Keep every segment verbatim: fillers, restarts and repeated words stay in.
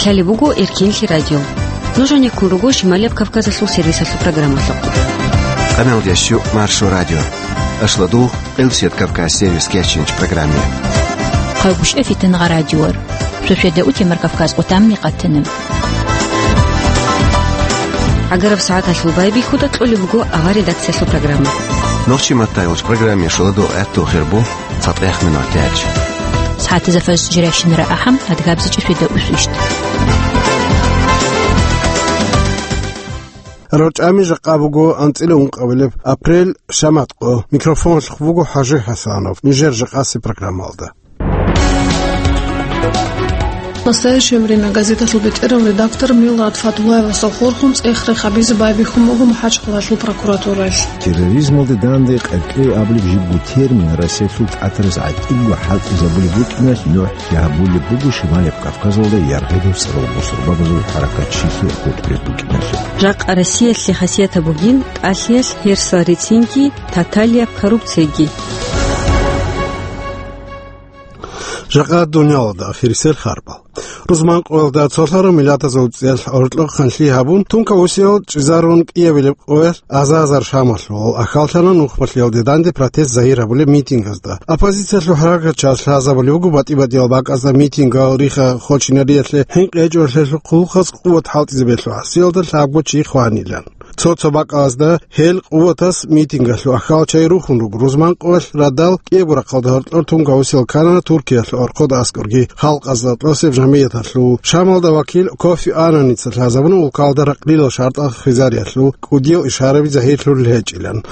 Лъалеб буго Эркинлъи радио. Нуж гьанеккун руго Шималияб Кавказалъул сервисалъул программалъухъ. Къамелдящу Маршо радио. Ашладугъ Къилсият Кавказ сервис кечинч программе. Хъавгуш эфитан гъа радиор. Шошведа утемар Кавказ къутамни къатана. Агараб сагӀаталъул байбихьуда кьолеб буго авар редакциялъул программа. Нохчи маттайолч программе шуладо гӀатту хирбу. ЦатӀех минут гьечӀ. СагӀатазда фаз жиращинара ахӀам, адгабзичӀеб шведа усвищт. РорчӀами жакъа буго анцӀила ункъабилеб апрель шаматкъо. Микрофонлъухъ буго ХӀажи ХӀасанов. Нижер жакъаси программалда. «Настоящее время» газеталъул бетӀерав редактор Милрат Фатулаевасул хурхун цӀех-рех гьабизе байбихьун буго МахӀачхъалалъул прокуратуралъ. Терроризмалда данде къеркьей абулеб жибго термин Россиялъул тӀатараз гӀатӀиго хӀалтӀизабулеб букӀиналъ нугӀлъи гьабулеб буго Шималияб Кавказалда яргъибил цӀарал бусурбабазул хӀаракатчилъи хутӀулеб букӀиналъул. Жакъа Россиялъе хасиятаб бугин тӀалъиялъ, гьерсал рецинги, таталияб коррупцияги. Жакъа дуниялалда ахирисел харбал. Рузман къоялда цолъарав миллатазул цӀиялъ гӀоркьоб ханлъи гьабун, тункаусиял чӀезарун кӀиабилеб къоялъ аза-азар Шамалъугъал ахьаллъана нухмалъиялде данде протест загьир гьабулеб митингазда. Оппозициялъул хӀаракатчияс лъазабулеб буго батӀи-батӀиял бакӀазда митингал риха-хочинариялъе хӀинкъи гьечӀолъиялъул хъулухъаз къуват хӀалтӀизе бегьулеб гӀасиялда лъабго чи хванилан. Цо-цо бакӀалазда гьел къуватас митингалъул ахьал чай рухун руго. Рузман къоялъ радал кӀиябго рахъалда гьоркьор тункаусиял ккана Туркиялъул орхъода аскӀорги халкъазда тӀосеб жамгӀияталъул. Шамалда вакил Кофи Аннаница лъазабуна улкалда ракълилал шартӀал хвезариялъул кӀудиял ишараби загьирлъулел гьечӀилан.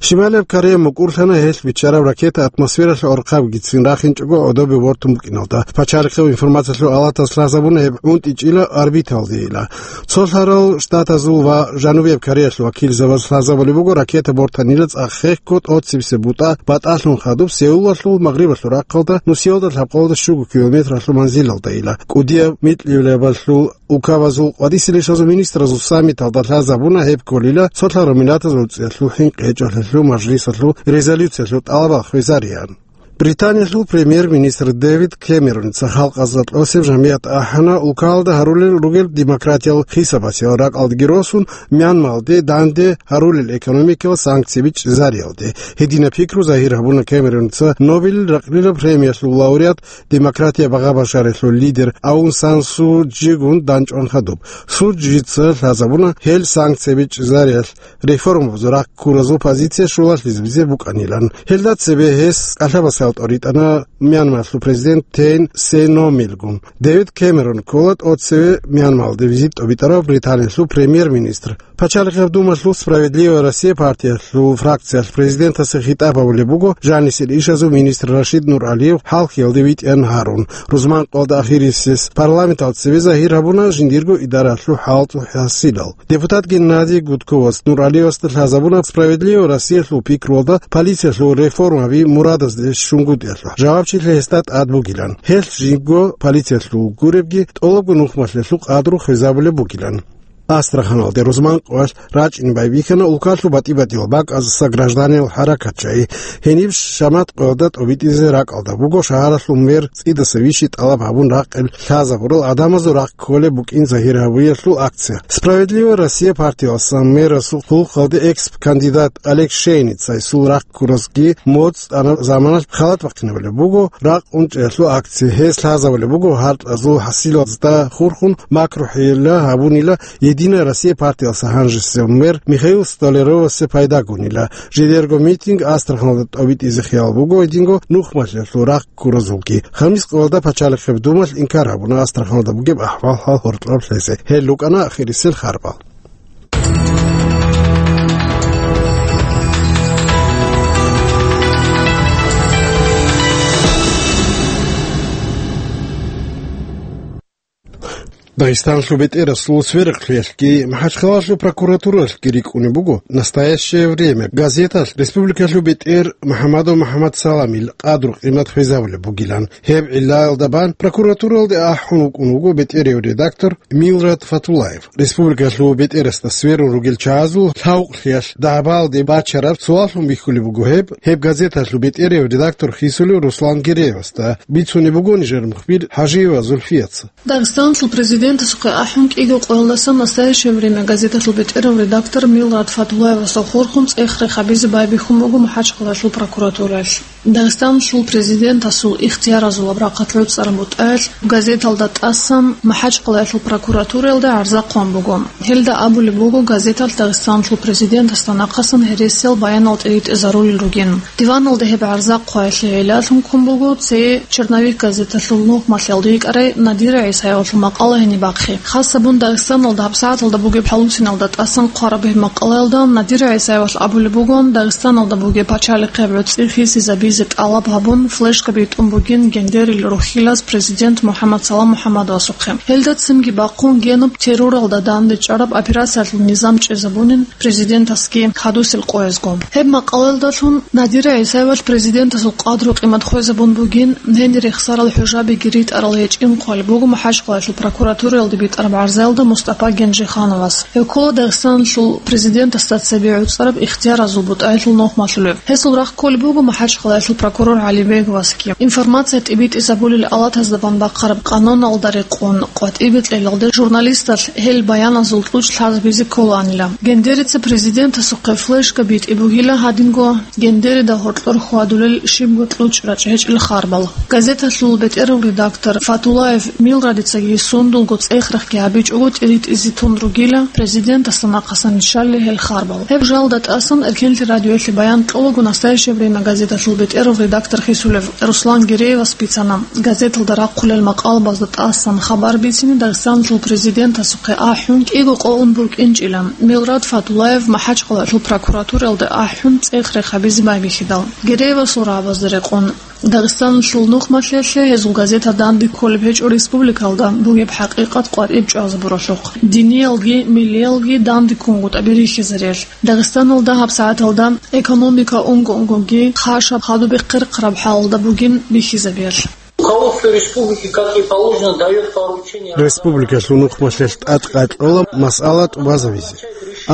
Шималияб Корея мукӀурлъана гьелъ биччараб ракета атмосфералъул орхъабигицин рахинчӀого гӀодобе вортун букӀиналда. Пачалихъев информациялъул алатас лъазабуна гьеб гӀунтӀичӀила орбиталдейила. Цолъарал Штатазул ва Жанубияб Кореялъул вакилзабаз лъазабулеб буго, ракета бортанила цӀакъ хехго тӀоцебесеб бутӀа батӀалъун хадуб Сеулалъул магърибалъул рахъалда нусиялда лъабкъоялда щуго километралъул манзилалдайила. КӀудияб микьилабалъул улкабазул къвадиселищазул министразул саммиталда лъазабуна гьеб кколила цолъарал миллатазул цӀиялъул хӀинкъи гьечӀолъиялъул мажлисалъул резолюциялъул тӀалабал хвезариялъ. Британиялъул премьер-министр Дэвид Кэмероница халкъазда тӀосеб жамгӀият ахӀана улкалда гьарулел ругел демократиял хисабасел, ракӀалдеги росун, Мьянмалде данде гьарулел экономикиял санкцияби чӀезариялде. Гьединаб пикру загьир гьабуна Кэмероница Нобелил ракълилаб премиялъул лауреат, демократия багъа-башаралъул лидер Аун Сан Су Чжигун данчӀван хадуб. Су Чжица лъазабуна гьел санкцияби чӀезариялъ реформабазул рахъ ккуразул позиция щулалъизабизе букӀанилан. Гьелда цебе гьес кӀалъабасел тӀоритӀана Мьянмалъул президент Тейн Сеномилгун. Дэвид Кэмерон ккола тӀоцеве Мьянмалде визит тӀобитӀарав Британиялъул премьер-министр. Пачалихъаб Думалъул «Справедливая Россия» партиялъул фракциялъ президентасе хитӀаб гьабулеб буго жанисел ишазул министр Рашид Нуралиев хӀалхьиялде витӀиян гьарун. Рузман къоялда ахирисез парламенталда цебе загьир гьабуна жиндирго идараялъул хӀалтӀухӀасилал. Депутат Геннадий Гудковас Нуралиевасда лъазабуна «Справедливая Россиялъул» пикруялда полициялъул реформаби мурадазде щунгутӀиялъул жавабчилъи гьесда тӀад бугилан. Гьелъ жинго полициялъул гуребги тӀолабго нухмалъиялъул къадру хвезабулеб бугилан. Астраханалде рузман къоялъ рачӀине байбихьана улкалъул батӀи-батӀиял бакӀаздаса гражданиял хӀаракатчи. Гьениб шамат къоялда тӀобитӀизе ракӀалда буго шагьаралъул мэр цӀидаса вищи тӀалаб гьабун ракъел лъазабурал гӀадамазул рахъ кколеб букӀин загьир гьабиялъул акция. «Справедливая Россия» партиялъасан мэрасул хъулухъалде экс-кандидат Олег Шейницайсул рахъ ккуразги моцӀ тӀанаб заманалъ халат бахъинабулеб буго ракъ унчӀиялъул акция. Гьес лъазабулеб буго гьаркьазул хӀасилазда хурхун макрухӀейилла гьабунила «Единая Россия» партиялъа гьанжесев мэр Михаил Столяровасе пайдагунила. Жидерго митинг Астраханалда тӀобитӀизе хиял буго гьединго нухмалъиялъул рахъ ккуразулги. Хамис къоялда Пачалихъеб Думалъ инкар гьабуна Астраханалда бугеб ахӀвал-хӀал гьоркьоб лъезе. Гьел рукӀана ахирисел харбал. Дагъистаналъул бетӀерасул сверухълъиялъги МахӀачхъалалъул прокуратуралъги рикӀкӀунеб буго «Настоящее время» газеталъ республикалъул бетӀер МухӀаммадов МухӀаммад Саламил къадру-къимат хвезабулеб бугилан. Гьеб гӀиллаялда бан прокуратуралде ахӀун вукӀун вуго бетӀерев редактор Милрат Фатуллаев. Республикалъул бетӀерасда сверун ругел чагӀазул лъавкълъиялъ дагӀбаялде бачараб суаллъун бихьулеб буго гьеб, гьеб газеталъул бетӀерев редактор хисулев Руслан Гереевасда, бицунеб буго нижер мухбир ХӀажиева Зульфияца. Дагъистаналъул президент Президентасухъе ахӀун кӀиго къоялдасан «Настоящее время» газеталъул бетӀерав редактор Милрад Фатулаевасул хурхун цӀех-рех гьабизе байбихьун буго МахӀачхъалаялъул прокуратураялъ. Дагъистаналъул президентасул ихтияразулаб рахъалъ гӀуцӀараб бутӀаялъ газеталда тӀасан МахӀачхъалаялъул прокуратураялда гӀарза хъван буго. Гьелда абулеб буго газеталъ Дагъистаналъул президентасда нахъасан гьересиял баянал тӀиритӀизарулел ругин. Диваналда гьеб гӀарза хъваялъе гӀиллалъун ккун буго цее «Черновик» газеталъул нухмалъиялда йикӀарай Надира ГӀисаевалъул макъала гьениб бахъи. Хасабун Дагъистаналда гьабсагӀаталда бугеб хӀалусиналда тӀасан хъвараб гьеб макъалаялда Надира ГӀисаевалъ абулеб бугон, Дагъистаналда бугеб пачалихъияб гӀуцӀи хисизабизе тӀалаб гьабун, флешка битӀун бугин гендерил рухьилаз президент МухӀаммад Салам МухӀаммадовасухъе. Гьелда цинги бахъун генуб терроралда дандечӀараб операциялъул низам чӀезабунин, президентасги хадусел къоязго. Гьеб макъалаялдалъун Надира ГӀисаевалъ президентасул къадру-къимат хвезабун бугин, гьенир рехсарал хӀужабиги ритӀарал гьечӀин хъвалеб буго МахӀачхъалаялъул прокуратураялде битӀараб гӀарзаялда Мустапа Генжихановас. Гьев ккола Дагъистаналъул президентасда цебе гӀуцӀараб ихтияразул бутӀаялъул нухмалъулев. Гьесул рахъ кколеб буго МахӀачхъалаялъул прокурор ГӀалибеговасги. Информация тӀибитӀизабулел алатазда бан бахъараб къануналда рекъон къватӀибе кьелалде журналисталъ гьел баяназул кьучӀ лъазабизе кколаанила. Гендерица президентасухъе флешка битӀи бугила гьадинго гендерида гьоркьор хьвадулел щибго кьучӀ рачӀ гьечӀел харбал. Газеталъул бетӀерав редактор Фатулаев Милрадицаги сундулго цӀех-рехги гьабичӀого тӀиритӀизе тун ругила президентасда нахъасан риччалел гьел харбал. Гьеб жалда тӀасан Эркенлъи радиоялъе баян кьолаго «Настоящее время» газеталъул бетӀерав редактор хисулев Руслан Гереевас бицана, газеталда рахъулел макъалабазда тӀасан хабар бицине Дагъистаналъул президентасухъе ахӀун кӀиго къо ун букӀинчӀила. Милрад Фатулаев МахӀачхъалаялъул прокуратураялда ахӀун цӀех-рех гьабизе байбихьидал, Гереевасул рагӀабазда рекъон, Дагъистаналъул нухмалъиялъе гьезул газета данде кколеб гьечӀо республикалда бугеб хӀакъикъат къватӀиб чӀвазабуралъухъ, диниялги миллиялги данде ккунгутӀаби рихьизариялъ. Дагъистаналда гьабсагӀаталда экономика унго-унгоги хъашаб хадуб бехъерхъраб хӀалалда бугин бихьизабиялъ. Руководство республики, как и положено, даёт поручение. Республикалъул нухмалъиялъ тӀад къайкъола масъала тӀубазабизе.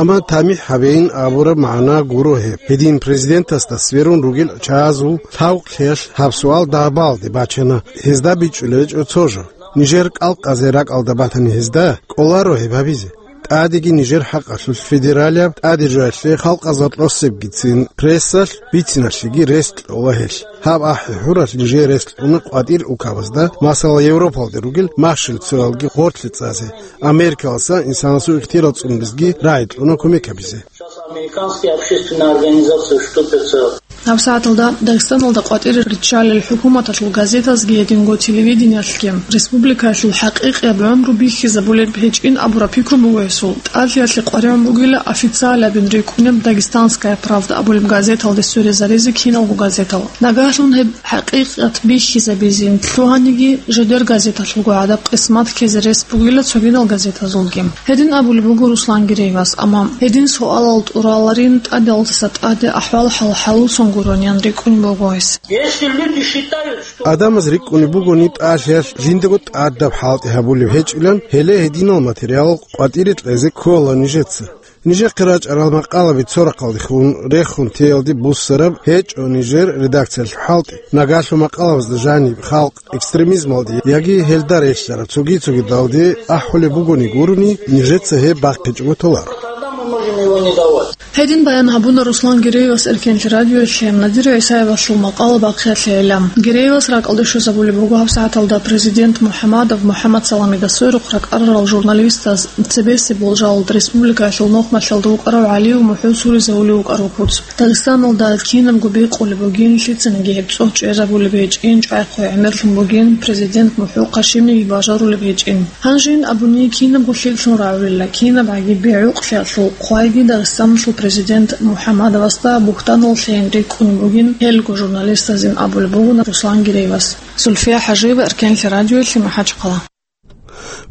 Амма тамихӀ гьабейин абураб магӀна гуро гьеб. Гьедин президентасда сверун ругел чагӀазул лъавкълъиялъ гьаб суал дагӀбаалде бачана, гьезда бичӀчӀулеб гьечӀо цо жо. Нижер кӀалкъазе ракӀалда батани гьезда, кӀоларо гьеб гьабизе. ТӀадеги нижер хӀакъалъулъ федералияб тӀадежоялъе халкъазда тӀосебгицин прессалъ бициналъеги рес кьола гьелъ. Гьаб ахӀи-хӀуралъ нижер рес кьуна къватӀир улкабазда, масала, Европалде ругел махщел цоялги гъорлъе цӀазе, Америкаласа инсанасул ихтияр цӀунулезги рагӀи кьуна кумек гьабизе. Сейчас американские общественные организации вступятся. ГьабсагӀаталда Дагъистаналда къватӀир риччалел хӀукуматалъул газетазги гьединго телевидениялъги республикаялъул хӀакъикъияб гӀумру бихьизабулеб гьечӀин абураб пикру буго гьесул. ТӀадлъиялъе къваригӀун бугила официалабин рикӀкӀунеб «Дагестанская правда» абулеб газеталде сверизаризе киналго газетал. Нагагьлъун гьеб хӀакъикъат бихьизабизин лъугьаниги, жидер газеталъулго гӀадаб къисмат ккезе рес бугила цогидал газетазулги. Гьедин абулеб буго Руслан Гиреевас, амма гьедин суалал тӀураларин тӀадегӀлдаса тӀаде ахӀвал-хӀал хӀалуцун гурони ян рикӀкӀунеб буго гьес. Если люди считают, что Адамаз рикӀкӀунеб бугони тӀалъиялъ жиндаго тӀадаб хӀалтӀи гьабулеб гьечӀилан, гьеле гьединал материал къватӀире кьезе ккола нижеца. Нижехъе рачӀарал макъалаби цо рахъалдехун рехун теялде буссараб гьечӀо нижер редакциялъул хӀалтӀи. Нагагьлъун макъалабазда жаниб халкъ экстремизмалде яги гьелда релълъараб цоги-цогидалде ахӀулеб бугони гурони, нижеца гьеб бахъичӀого толаро. Тогда мы можем его не давать. Гьедин баян гьабуна Руслан Гиреевас Эркенлъи радиоялъе Надир ГӀисаевалъул макъала бахъиялъе гӀелам. Гиреевас ракӀалде щвезабулеб буго гьабсагӀаталда президент МухӀаммадов МухӀаммад Саламида сверухъ ракӀарарал журналистаз цебесеб болжалалда республикаялъул нухмалъиялда вукӀарав ГӀалиев МухӀу суризавулев вукӀарав куц. Дагъистаналда кинабго бикъулеб бугин, лъицаниги гьеб цӀух чӀезабулеб гьечӀин, чӀвайхъуй гӀемерлъун бугин, президент МухӀу хъашимиги бажарулеб гьечӀин. Гьанжин абуни кинабго лъикӀлъун рагӀулила, кинабгӀаги бегӀукълъиялъул хъвайги Дагъистаналъул президент МухӀаммадовасда бугьтаналъейин рикӀкӀунеб бугин гьелго журналистазин абулеб бугуна Руслан Гиреевас. Зульфия ХӀажиева, Эркенлъи радиоялъе, МахӀачхъала.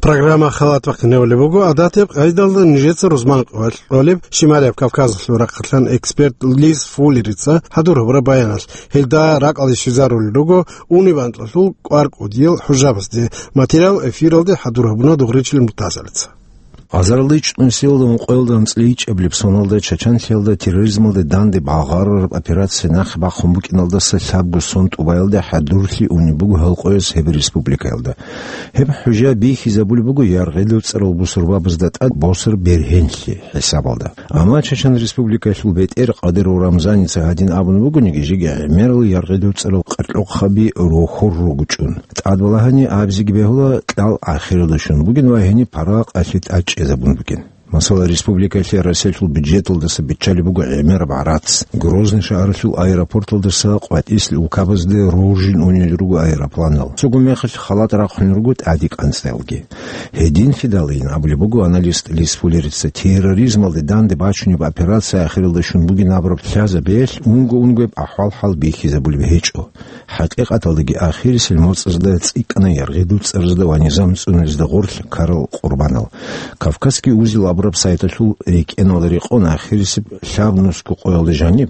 Программа халат вахъинавулеб буго, гӀадатияб къайдалда нижеца рузман къоялъ кьолеб Шималияб Кавказалъул рахъалъан эксперт Лиз Фуллерица хӀадур гьабураб баяналъ. Гьелда ракӀалде щвезарулел руго унибанкьалъул кӀвар кӀудиял хӀужабазде. Материал эфиралде хӀадур гьабуна Дугъричил Муртазалица. Азаралда ичӀнусиялда ункъоялда анцӀила ичӀабилеб соналда Чачанлъиялда терроризмалде данде багъарараб операция нахъе бахъун букӀиналдаса лъабго сон тӀубаялда хӀадурлъи унеб буго гьалкъояз гьеб республикаялда. Гьеб хӀужа бихьизабулеб буго яргъидул цӀарал бусурбабазда тӀад босар бергьенлъи хӀисабалда. Амма Чачан Республикалъул бетӀер Къадиров Рамзаница гьадин абун бугониги, жеги гӀемерал яргъидул цӀарал къаркьохъаби рохор ругучӀун. ТӀадбалагьани абизеги бегьула кьал ахиралда щун бугин ва гьениб паракъалъе тӀад чӀезабун бугин. Масала, республикалъе Россиялъул бюджеталдаса биччалеб буго гӀемераб гӀарац. Грозный шагьаралъул аэропорталдаса къватӀислъи улкабазде роржин унел руго аэропланал. Цого мехалъ халат рахъун руго тӀаде кӀанцӀаялги. Гьединлъидалин абулеб буго аналист Лисфулерица, терроризмалде данде бачунеб операция ахиралда щун бугин абураб лъазабиялъ унго-унгояб ахӀвал-хӀал бихьизабулеб гьечӀо. ХӀакъикъаталдаги ахирисел моцӀазда цӀикӀкӀана яргъидул цӀарзда ва низам цӀунулезда гъорлъ ккарал къурбанал. Кавказский узел абураб сайталъул рекӀеналда рекъон ахирисеб лъабнусго къоялда жаниб,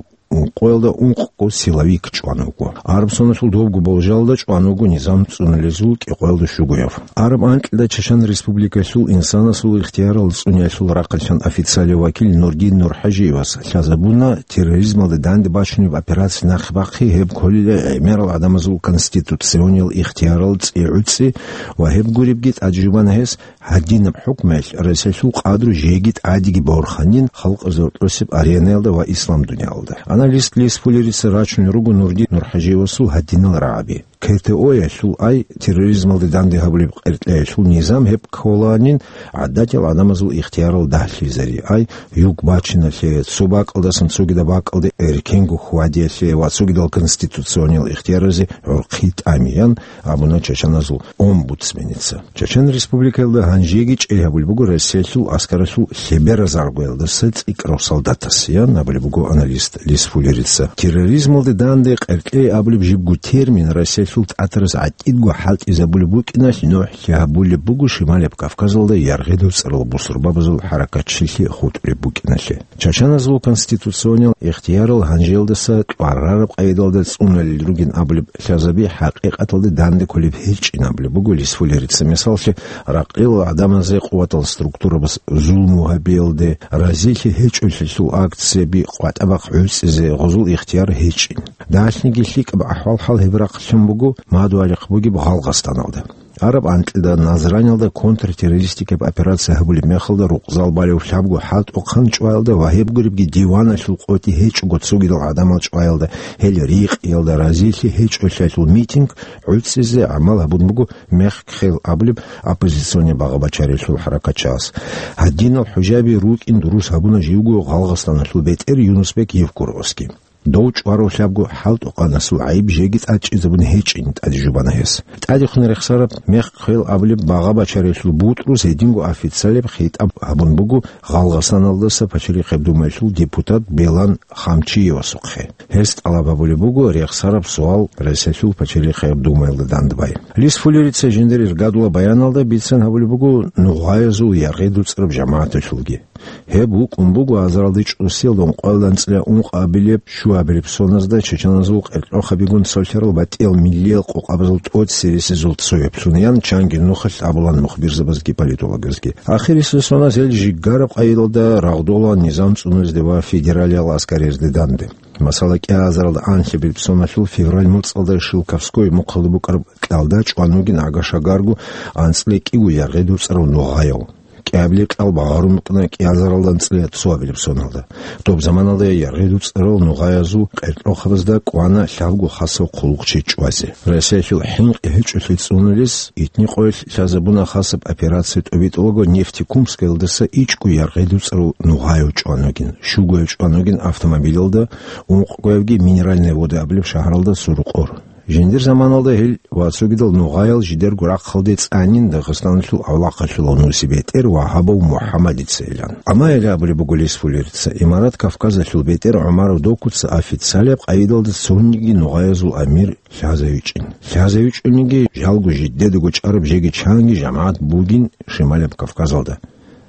къоялда ункъго силовик чӀван вуго. Араб соналъул добго болжалда чӀван вуго низам цӀунулезул кӀикъоялда щугояв. Араб анкьида Чачан Республикалъул инсанасул ихтиярал цӀуниялъул рахъалъан официалияв вакил Нурдин Нурхажиевас лъазабуна терроризмалде данде бачунеб операция нахъе бахъи гьеб кколила гӀемерал гӀадамазул конституциониял ихтиярал цӀи гӀуцӀи ва гьеб гуребги тӀаде жубана гьес, гьадинаб хӀукмуялъ Россиялъул къадру жеги тӀадеги борханин халкъазул тӀосеб аренаялда ва ислам дуниялалда. Аналист Лисфулерица рачун руго Нурдин Нурхажиевасул гьадинал рагӀаби. КТО-ялъул ай терроризмалде данде гьабулеб къеркьеялъул низам гьеб кколанин гӀадатиял гӀадамазул ихтиярал дагьлъизари ай юг бачиналъе, цо бакӀалдасан цогидаб бакӀалде эркенго хьвадиялъе ва цогидал конституциониял ихтияразе гӀурхъи тӀамиян абуна чачаназул омбудсменица. Чачан Республикаялда гьанжеги чӀей гьабулеб буго Россиялъул аскаралъул лъеберазаргоялдаса цӀикӀкӀарав солдатас, ян абулеб буго аналист Лисфулерица. Терроризмалде данде къеркьей абулеб жибго термин Россиялъул тӀатараз гӀатӀидго хӀалтӀизабулеб букӀиналъ нухӀлъи гьабулеб буго Шималаб Кавказалда яргъидул цӀарал бусурбабазул хӀаракатчилъи хутӀулеб букӀиналъе. Чачаназул конституциониял ихтиярал гьанжеялдаса кьварараб къайдалда цӀуналел ругин абулеб лъазаби хӀакъикъаталда данде кколеб гьечӀин абулеб буго Лисфулерица. Мисаллъи, ракъилал гӀадамазе къуватал структурабаз зулму гьабиялде, разилъи гьечӀолъиялъул акцияби къватӀа-бахъ гӀуцӀизе гъозул ихтияр гьечӀин. Дагьлъиги лъикӀаб ахӀвал-хӀал гьеб рахъалъун буго мадугьалихъ бугеб Гъалгъастаналда. Араб анкьида Назраниялда контртеррористикаб операция гьабулеб мехалда рукъзал балев лъабго хӀалтӀухъан чӀваялда ва гьеб гуребги диваналъул къотӀи гьечӀого цогидал гӀадамал чӀваялда, гьел рикъиялда разилъи гьечӀолъиялъул митинг гӀуцӀизе гӀамал гьабун буго Мехк-Хел абулеб оппозиционный багъа-бачариялъул хӀаракатчияс. Гьадинал хӀужаби рукӀин дурус гьабуна живго Гъалгъастаналъул бетӀер Юнусбек Евкуровасги. Дов чӀварав лъабго хӀалтӀухъанасул гӀайиб жеги тӀад чӀезабун гьечӀин тӀаде жубана гьес. ТӀадехун рехсараб Мехк-Хел абулеб багъа-бачариялъул бутӀрус гьединго официалияб хитӀаб гьабун буго Гъалгъасаналдаса Пачалихъеб Думаялъул депутат Белан Хамчиевасухъе. Гьес тӀалаб гьабулеб буго рехсараб суал Россиялъул Пачалихъеб Думаялда дандбай. Лисфулерица жиндир иргадула баяналда бицан гьабулеб буго нугъаязул яргъидул цӀараб жамагӀаталъулги. Гьеб вукӀун буго азаралда чӀусиялда ункъоялда анцӀила ункъабилеб щуабилеб соназда чачаназул къеркьохъабигун цолъарал батӀиял миллиял къокъабазул тӀоцересезул цояблъун, ян чанги нухалъ абулан мухбирзабазги политологазги. Ахирисеб соназ гьел жиггараб къайдалда рагъдола низам цӀунулезде ва федералиял аскаризде данде. Масала, кӀиазаралда анлъабилеб соналъул февраль моцӀалда Шелковской мухъалда букӀараб кьалда чӀван вугин агашагарго анцӀила кӀиго яргъидул цӀарав нугъаяв. КӀиабилеб кьал багъарун букӀана кӀиазаралда анцӀила цоабилеб соналда. Доб заманалда яргъидул цӀарал нугъаязул къеркьохъабазда кӀвана лъабго хасав хъулухъчи чӀвазе. Россиялъул хӀинкъи гьечӀолъи цӀунулес итни къоялъ лъазабуна хасаб операция тӀобитӀулаго Нефтекумскаялдаса ичӀго яргъидул цӀарал нугъаяв чӀван вугин, щугояв чӀван вугин автомобилялда, ункъгоявги Минеральные Воды абулеб шагьаралда сурукъор. Жиндир заманалда гьел ва цогидал нугъаял жидерго рахъалде цӀанин Дагъистаналъул авлахъалъулав нусибетӀер Вагьабов МухӀаммадицайилан. Амма гьел абулеб буго Лисфулерица, Имарат Кавказалъул бетӀер ГӀумаров Докуца официалияб къайдалда цониги нугъаязул амир лъазавичӀин. ЛъазавичӀониги жалго жидедаго чӀараб жеги чанги жамагӀат бугин Шималаб Кавказалда.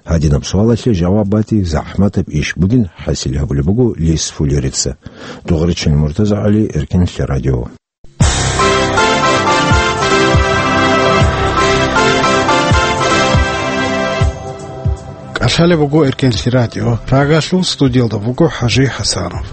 Гьадинаб суалалъе жаваб бати захӀматаб иш бугин хӀасил гьабулеб буго Лисфулерица. Дугъричил МуртазагӀали, Эркенлъи радио. Лъалеб буго Эркенлъи радио. Прагалъул студиялда буго ХӀажи ХӀасанов.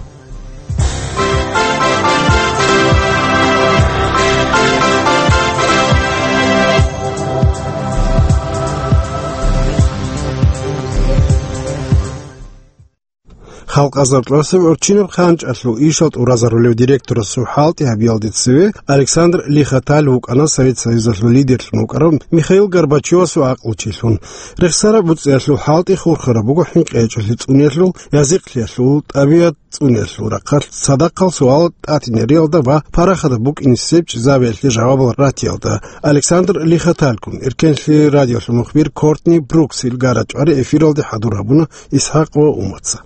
Халкъазар тӀасаб гӀурччинаб хъанчӀалъул ишал тӀуразарулев директорасул хӀалтӀи гьабиялде цеве Александр Лихоталь вукӀана Совет Союзалъул лидерлъун вукӀарав Михаил Горбачевасул гӀакълучилъун. Рехсараб буцӀиялъул хӀалтӀи хурхараб буго хӀинкъи гьечӀолъи цӀуниялъул, язихълъиялъул, тӀабигӀат цӀуниялъул рахъалъ цадахъал суал тӀатинериялда ва парахатаб букӀинисеб чӀезабиялъе жавабал ратиялда. Александр Лихоталькун, Эркенлъи радиолъул мухбир Кортни Бруксил гарачӀвари эфиралде хӀадур гьабуна ИсхӀакъ ва Умаца.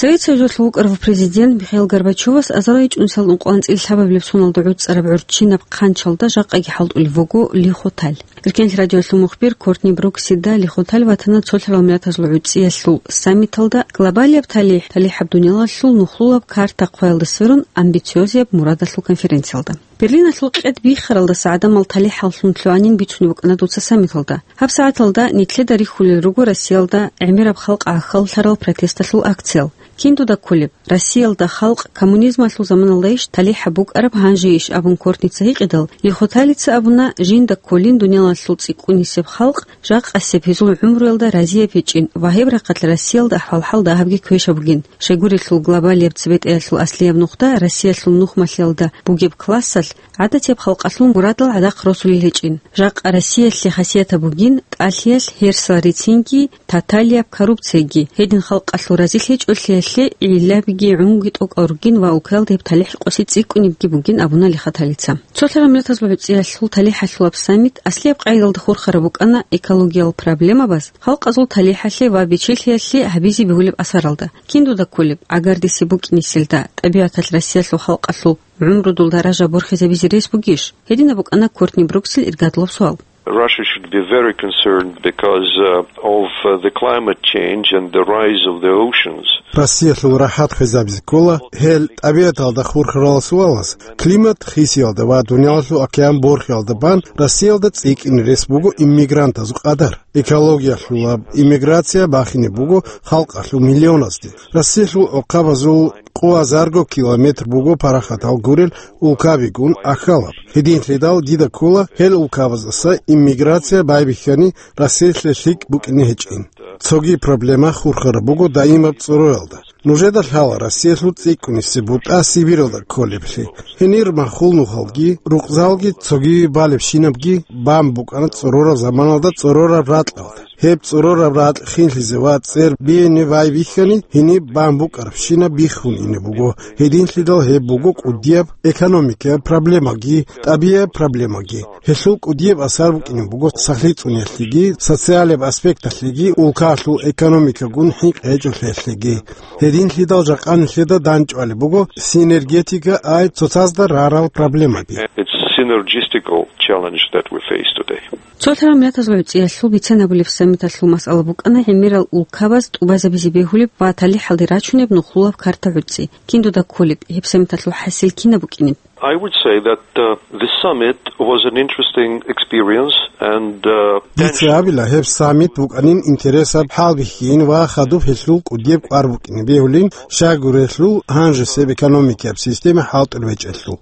Совет Союзалъул вукӀарав президент Михаил Горбачевас азарай чӀунсал ункъоанцӀил лъабабилеб соналда гӀуцӀараб гӀурччинаб хъанчалда жакъаги хӀалтӀулев вуго Лихоталь. Эркенлъи радиолъул мухбир Кортни Бруксида Лихоталь ватана цолъарал миллатазул гӀуцӀиялъул саммиталда «Глобалияб талихӀ, талихӀаб дуниялалъул нухлулаб карта» хъваялда сверун амбициозияб мурадалъул конференциялда. Берлиналъул къед биххаралдаса гӀадамал талихӀаллъун лъугӀанин бицунеб букӀана дуца саммиталда. ГьабсагӀаталда нилъеда рихьулел руго Россиялда гӀемераб халкъ гӀахьаллъарал протесталъул акциял. Кин дуда кколеб, Россиялда халкъ коммунизмалъул заманалдайищ талихӀаб букӀараб, гьанжейищ абун Кортница гьикъидал, Лихоталица абуна, жинда кколин дуниялалъул цӀикӀкӀунисеб халкъ жакъасеб гьезул гӀумруялда разияб гьечӀин ва гьеб рахъалъ Россиялда ахӀвал-хӀал дагьабги квеша бугин. Щайгурелъул, глобалияб цебетӀеялъул аслияб нухда Россиялъул нухмалъиялда бугеб классалъ гӀадатияб халкъалъул мурадал гӀадахъ росулел гьечӀин. Жакъа Россиялъе хасиятаб бугин тӀалъиялъ гьерсал рицинги, тоталияб коррупцияги, гьедин халкъалъул разилъ гьечӀолъиялъе гӀиллабиги гӀунги тӀокӀал ругин ва улкаялда гьеб талихӀ къоси цӀикӀкӀунебги бугин абуна Лихоталица. Цолъарал миллатазул гӀуцӀиялъул талихӀалъулаб саммит аслияб къайдалда хурхараб букӀана экологиял проблемабаз, халкъазул талихӀалъе ва бечелъиялъе гьабизе бегьулеб асаралда. Кин дуда кколеб, гӀагардиси букӀинеселда, тӀабигӀаталъ Россиялъул халкъалъул гӀумрудул даража борхизабизе рес бугищ? Гьединаб букӀана Кортни Бруксил иргадулаб суал. Russia should be very concerned because, uh, of, uh, the climate change and the rise of the oceans. Россиялъул рахӀат хвезабизе ккола гьел тӀабигӀаталда хурхарал суалаз. Климат хисиялда ва дуниялалъул океан борхиялда бан Россиялда цӀикӀкӀине рес буго иммигрантазул къадар. Экологиялъулаб иммиграция бахине буго халкъалъул миллионазде. Россиялъул гӀухъабазул къо азарго километр буго парахатал гурел улкабигун ахьалаб. Гьединлъидал дида ккола гьел улкабаздаса иммиграция байбихьани Россиялъе лъикӀ букӀине гьечӀин. Цоги проблема хурхараб буго даимаб цӀороялда. Нужеда лъала Россиялъул цӀикӀкӀунисеб бутӀа Сибиралда кколеблъи. Гьенир махул нухалги, рукъзалги, цоги балебщинабги бан букӀана цӀорораб заманалда цӀорораб ракьалда. Гьеб цӀорораб ракь хинлъизе ва цӀер биене байбихьани, гьениб бан букӀарабщинаб биххун ине буго. Гьединлъидал гьеб буго кӀудияб экономикаяб проблемаги, тӀабигӀияб проблемаги. Гьелъул кӀудияб асар букӀине буго сахлъи цӀуниялъеги, социалияб аспекталъеги, улкалъул экономикагун хӀинкъи гьечӀолъиялъеги. Гьединлъидал жакъа нилъеда дандчӀвалеб буго синергетика ай цоцазда рарал проблемаби. It's synergistical challenge that we face today. Цолъарал миллатазул гӀуцӀиялъул бицен абулеб саммиталъул масъала букӀана гӀемерал улкабаз тӀубазабизе бегьулеб ва талихӀалде рачунеб нухлулаб карта гӀуцӀи. Кин дуда кколеб, гьеб саммиталъул хӀасил кинаб букӀинеб? I would say that, uh, this summit was an interesting experience and, uh, дица абила, гьеб саммит букӀанин интересаб хӀалбихьин ва хадуб гьелъул кӀудияб кӀвар букӀине бегьулин, щайгурелъул гьанжесеб экономикаяб система хӀалтӀулеб гьечӀелъул.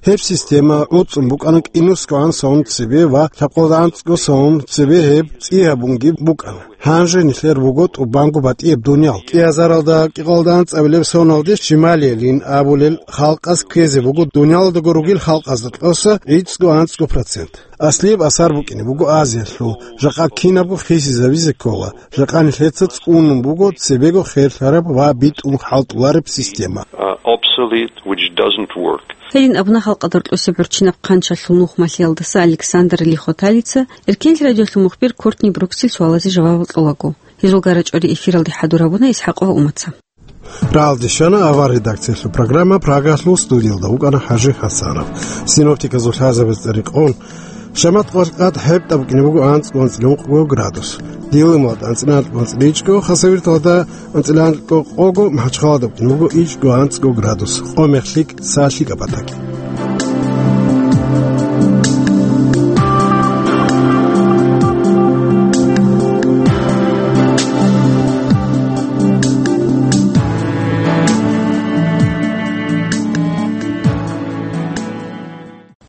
Гьеб система гӀуцӀун букӀана кӀинусгоан сон цебе ва лъабкъоялда анцӀго сон цебе гьеб цӀи гьабунги букӀана. Гьанже нилъер буго тӀубанго батӀияб дуниял. КӀиазаралда кӀикъоялда анцӀабилеб соналде Шималиялин абулел халкъаз ккезе буго дуниялалдаго ругел халкъазда тӀаса гӀицӀго анцӀго процент. Аслияб асар букӀине буго Азиялъул, жакъа кинабго хисизабизе ккола, жакъа нилъеца цӀунун буго цебего херлъараб ва битӀун хӀалтӀулареб система. Uh, obsolete, which doesn't work. Гьедин абуна халкъалда рокьосеб гӀурччинаб хъанчалъул нухмалъиялдаса Александр Лихоталица, Эркенлъи радиолъул мухбир Кортни Бруксил суалазе жавабал кьолаго. Гьезул гарачӀвари эфиралде хӀадур гьабуна ИсхӀакъ ва Умаца. Рагьалде щвана авар редакциялъул программа, Прагалъул студиялда вукӀана ХӀажи ХӀасанов. Синоптиказул лъазабаз цӀерикъон, Шамат къватӀ гьебтӀа букӀине буго анцӀго анцӀила ункъго градус. Дилималда анцӀила анкьго анцӀила ичӀго, Хасавюрталда анцӀила анкьго къого, МахӀачхъалада букӀине буго ичӀго анцӀго градус. Къо-мех лъикӀ, са лъикӀаб батакӀ.